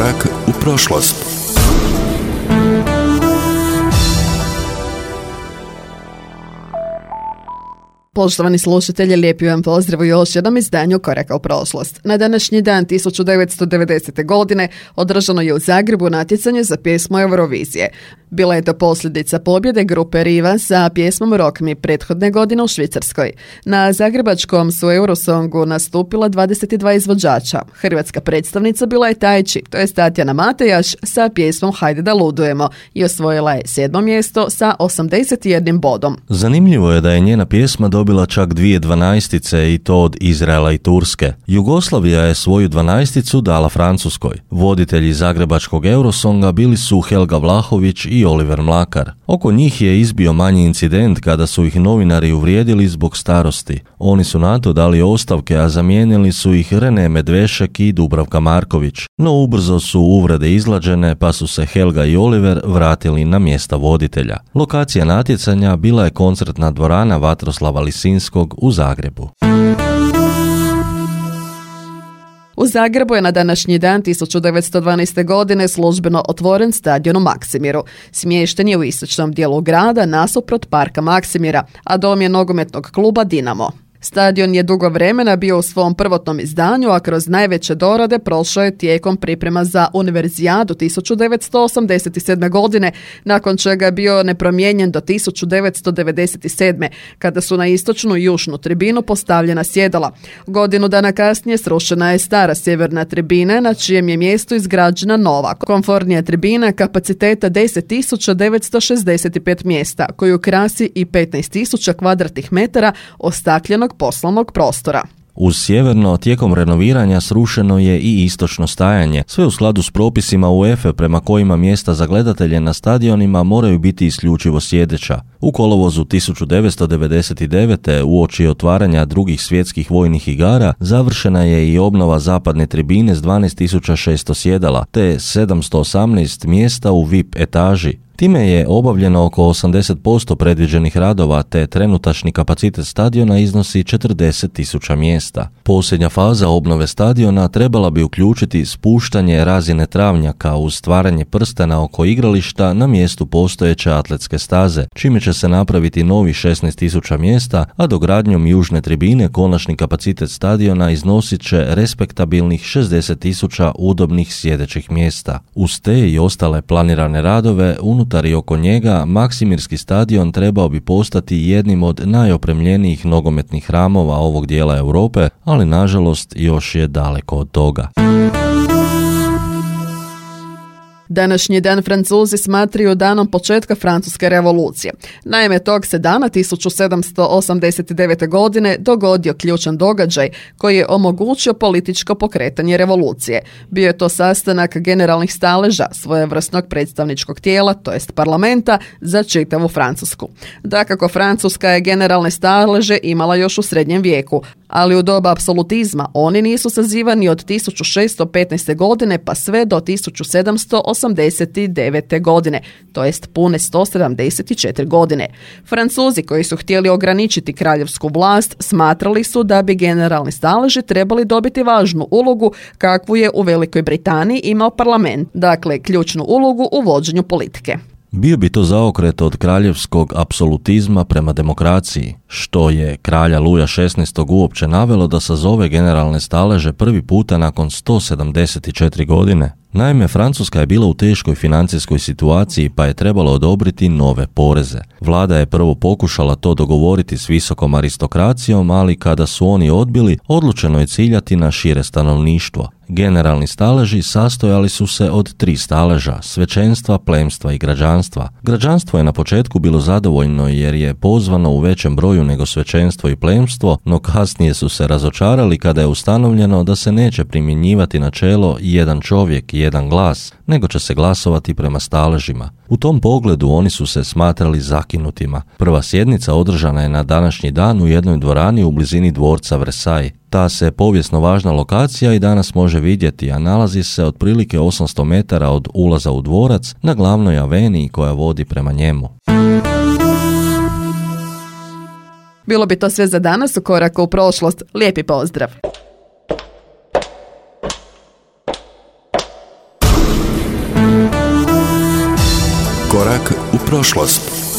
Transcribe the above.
Korak u prošlost. Poštovani slušatelji, lijepi vam pozdrav u još jednom izdanju Koraka u prošlost. Na današnji dan 1990. godine održano je u Zagrebu natjecanje za pjesmu Eurovizije. Bila je to posljedica pobjede grupe Riva sa pjesmom Rock Me prethodne godine u Švicarskoj. Na zagrebačkom su Eurosongu nastupila 22 izvođača. Hrvatska predstavnica bila je Tajči, to je Tatjana Matejaš sa pjesmom Hajde da ludujemo i osvojila je 7. mjesto sa 81 bodom. Zanimljivo je da je njena pjesma dobila čak 2 dvanaestice i to od Izraela i Turske. Jugoslavija je svoju 12 dala Francuskoj. Voditelji zagrebačkog Eurosonga bili su Helga Vlahović i Oliver Mlakar. Oko njih je izbio manji incident kada su ih novinari uvrijedili zbog starosti. Oni su na to dali ostavke, a zamijenili su ih Rene Medvešek i Dubravka Marković. No ubrzo su uvrede izlađene, pa su se Helga i Oliver vratili na mjesta voditelja. Lokacija natjecanja bila je koncertna dvorana Vatroslava Lisinskog u Zagrebu. U Zagrebu je na današnji dan 1912. godine službeno otvoren stadion u Maksimiru. Smješten je u istočnom dijelu grada nasuprot parka Maksimira, a dom je nogometnog kluba Dinamo. Stadion je dugo vremena bio u svom prvotnom izdanju, a kroz najveće dorade prošao je tijekom priprema za Univerzijadu 1987. godine, nakon čega je bio nepromijenjen do 1997. kada su na istočnu i južnu tribinu postavljena sjedala. Godinu dana kasnije srušena je stara sjeverna tribina, na čijem je mjestu izgrađena nova, komfortnija tribina kapaciteta 10.965 mjesta, koju krasi i 15.000 kvadratnih metara ostakljenog poslovnog prostora. Uz sjeverno, tijekom renoviranja srušeno je i istočno stajanje, sve u skladu s propisima UEFA prema kojima mjesta za gledatelje na stadionima moraju biti isključivo sjedeća. U kolovozu 1999. uoči otvaranja drugih svjetskih vojnih igara završena je i obnova zapadne tribine s 12.600 sjedala te 718 mjesta u VIP etaži. Time je obavljeno oko 80% predviđenih radova, te trenutačni kapacitet stadiona iznosi 40.000 mjesta. Posljednja faza obnove stadiona trebala bi uključiti spuštanje razine travnjaka uz stvaranje prstena oko igrališta na mjestu postojeće atletske staze, čime će se napraviti novi 16.000 mjesta, a dogradnjom južne tribine konačni kapacitet stadiona iznosit će respektabilnih 60.000 udobnih sjedećih mjesta. Uz te i ostale planirane radove unutar i oko njega, Maksimirski stadion trebao bi postati jednim od najopremljenijih nogometnih hramova ovog dijela Europe, ali nažalost još je daleko od toga. Današnji dan Francuzi smatraju danom početka Francuske revolucije. Naime, tog se dana 1789. godine dogodio ključan događaj koji je omogućio političko pokretanje revolucije. Bio je to sastanak generalnih staleža, svojevrsnog predstavničkog tijela, to jest parlamenta, za čitavu Francusku. Dakako, Francuska je generalne staleže imala još u srednjem vijeku, ali u doba apsolutizma oni nisu sazivani od 1615. godine pa sve do 1789. godine, to jest pune 174 godine. Francuzi koji su htjeli ograničiti kraljevsku vlast smatrali su da bi generalni staleži trebali dobiti važnu ulogu kakvu je u Velikoj Britaniji imao parlament, dakle ključnu ulogu u vođenju politike. Bio bi to zaokret od kraljevskog apsolutizma prema demokraciji, što je kralja Luja XVI. Uopće navelo da sazove generalne staleže prvi puta nakon 174 godine. Naime, Francuska je bila u teškoj financijskoj situaciji pa je trebalo odobriti nove poreze. Vlada je prvo pokušala to dogovoriti s visokom aristokracijom, ali kada su oni odbili, odlučeno je ciljati na šire stanovništvo. Generalni staleži sastojali su se od 3 staleža, svećenstva, plemstva i građanstva. Građanstvo je na početku bilo zadovoljno jer je pozvano u većem broju nego svećenstvo i plemstvo, no kasnije su se razočarali kada je ustanovljeno da se neće primjenjivati načelo jedan čovjek, jedan glas, nego će se glasovati prema staležima. U tom pogledu oni su se smatrali zakinutima. Prva sjednica održana je na današnji dan u jednoj dvorani u blizini dvorca Versailles. Ta se povijesno važna lokacija i danas može vidjeti, a nalazi se otprilike 800 metara od ulaza u dvorac na glavnoj aveniji koja vodi prema njemu. Bilo bi to sve za danas u Koraku u prošlost. Lijepi pozdrav! Korak u prošlost.